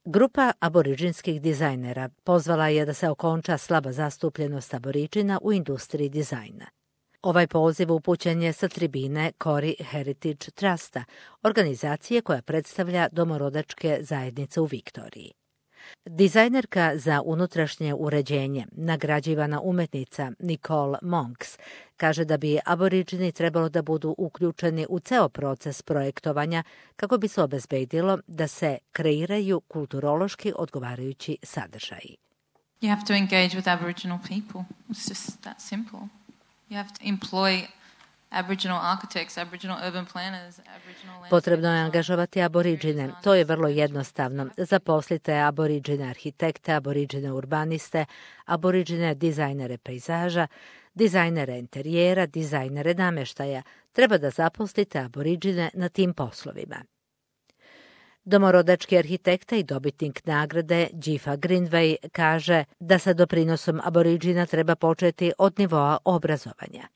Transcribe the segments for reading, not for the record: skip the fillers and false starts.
Grupa aboriđinskih dizajnera pozvala je da se okonča slaba zastupljenost aboriđina u industriji dizajna. Ovaj poziv upućen je sa tribine Kori Heritage Trusta, organizacije koja predstavlja domorodačke zajednice u Viktoriji. Dizajnerka za unutrašnje uređenje, nagrađivana umetnica Nicole Monks, kaže da bi aboriđini trebalo da budu uključeni u ceo proces projektovanja kako bi se obezbedilo da se kreiraju kulturološki odgovarajući sadržaji. You have to engage with Aboriginal people. It's just that simple. You have to employ Aboriginal architects, Aboriginal urban planners, Aboriginal... Potrebno je angažovati aboriđine. To je vrlo jednostavno. Zaposlite aboriđine arhitekte, aboriđine urbaniste, aboriđine dizajnere pejzaža, dizajnere interijera, dizajnere nameštaja. Treba da zaposlite aboriđine na tim poslovima. Domorodački arhitekta i dobitnik nagrade Jifa Greenway kaže da sa doprinosom aboriđina treba početi od nivoa obrazovanja.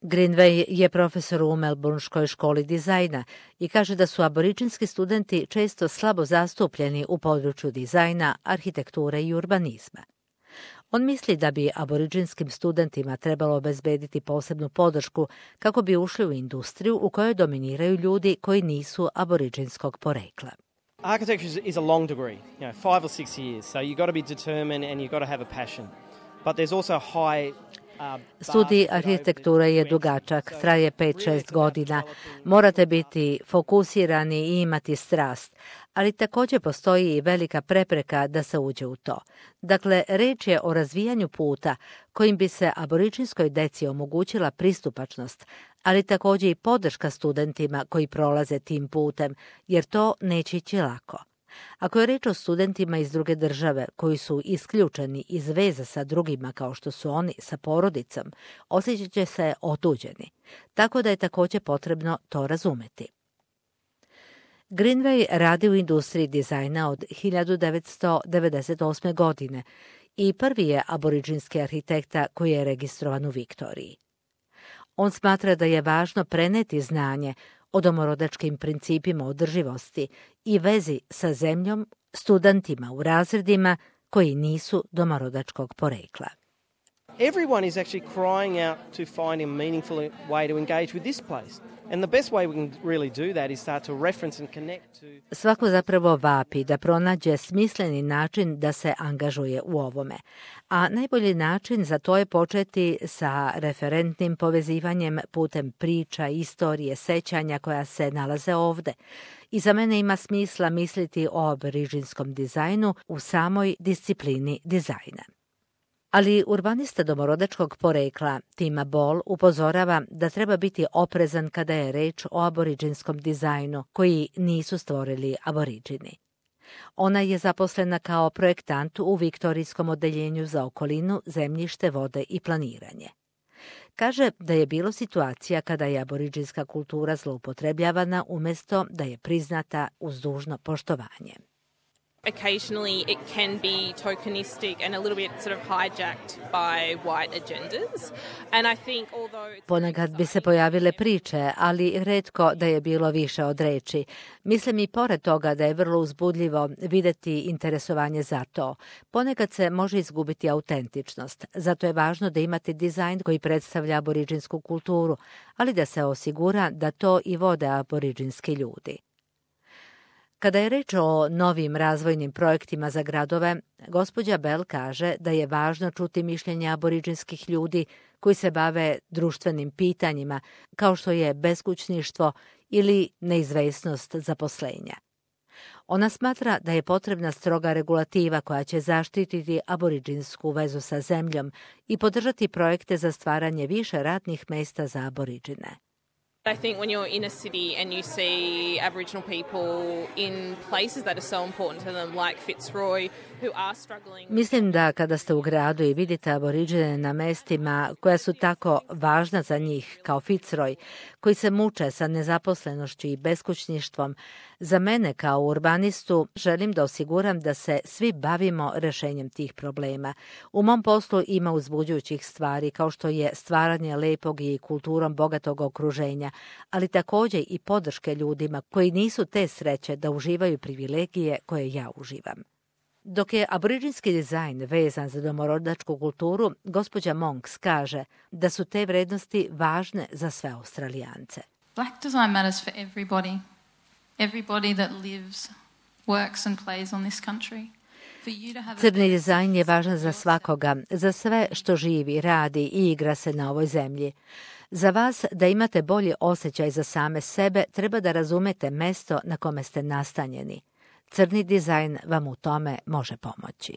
Greenway je profesor u Melbourneškoj školi dizajna i kaže da su aboriđinski studenti često slabo zastupljeni u području dizajna, arhitekture i urbanizma. On misli da bi aboriđinskim studentima trebalo obezbediti posebnu podršku kako bi ušli u industriju u kojoj dominiraju ljudi koji nisu aboriđinskog porekla. Architecture is a long degree, 5 or 6 years, so you've got to be determined and you've got to have a passion. But there's also high Studij arhitekture je dugačak, traje 5-6 godina. Morate biti fokusirani i imati strast, ali također postoji i velika prepreka da se uđe u to. Dakle, reč je o razvijanju puta kojim bi se aboriđinskoj deci omogućila pristupačnost, ali također i podrška studentima koji prolaze tim putem, jer to neće ići lako. Ako je reč o studentima iz druge države koji su isključeni iz veza sa drugima kao što su oni sa porodicom, osjećat će se otuđeni, tako da je također potrebno to razumeti. Greenway radi u industriji dizajna od 1998. godine i prvi je aboriđinski arhitekta koji je registrovan u Viktoriji. On smatra da je važno preneti znanje o domorodačkim principima održivosti i vezi sa zemljom studentima u razredima koji nisu domorodačkog porekla. Everyone is actually crying out to find a meaningful way to engage with this place. And the best way we can really do that is start to reference and connect to... Svako zapravo vapi da pronađe smisleni način da se angažuje u ovome. A najbolji način za to je početi sa referentnim povezivanjem putem priča, istorije, sećanja koja se nalaze ovde. I za mene ima smisla misliti o aboriđinskom dizajnu u samoj disciplini dizajna. Ali urbanista domorodačkog porekla Tima Ball upozorava da treba biti oprezan kada je reč o aboriđinskom dizajnu koji nisu stvorili aboriđini. Ona je zaposlena kao projektant u Viktorijskom odeljenju za okolinu, zemljište, vode i planiranje. Kaže da je bilo situacija kada je aboriđinska kultura zloupotrebljavana umjesto da je priznata uz dužno poštovanje. Occasionally it can be tokenistic and a little bit sort of hijacked by white agendas. And I think Ponekad bi se pojavile priče, ali retko da je bilo više od reči. Mislim i pored toga da je vrlo uzbudljivo videti interesovanje za to. Ponekad se može izgubiti autentičnost. Zato je važno da imate dizajn koji predstavlja aboriđinsku kulturu, ali da se osigura da to i vode aboriđinski ljudi. Kada je reč o novim razvojnim projektima za gradove, gospođa Bell kaže da je važno čuti mišljenja aboriđinskih ljudi koji se bave društvenim pitanjima, kao što je beskućništvo ili neizvesnost zaposlenja. Ona smatra da je potrebna stroga regulativa koja će zaštititi aboriđinsku vezu sa zemljom i podržati projekte za stvaranje više radnih mesta za aboriđine. I think when you're in a city and you see Aboriginal people in places that are so important to them, like Fitzroy, who are struggling... Mislim da kada ste u gradu i vidite aboriđine na mestima koja su tako važna za njih, kao Fitzroy, koji se muče sa nezaposlenošću i beskućništvom. Za mene kao urbanistu želim da osiguram da se svi bavimo rešenjem tih problema. U mom poslu ima uzbuđujućih stvari kao što je stvaranje lepog i kulturom bogatog okruženja, ali također i podrške ljudima koji nisu te sreće da uživaju privilegije koje ja uživam. Dok je aboriđinski dizajn vezan za domorodačku kulturu, gospođa Monks kaže da su te vrednosti važne za sve Australijance. Black design matters for everybody. Everybody that lives, works and plays on this country. Crni dizajn je važan za svakoga, za sve što živi, radi i igra se na ovoj zemlji. Za vas da imate bolji osjećaj za same sebe, treba da razumete mesto na kome ste nastanjeni. Crni dizajn vam u tome može pomoći.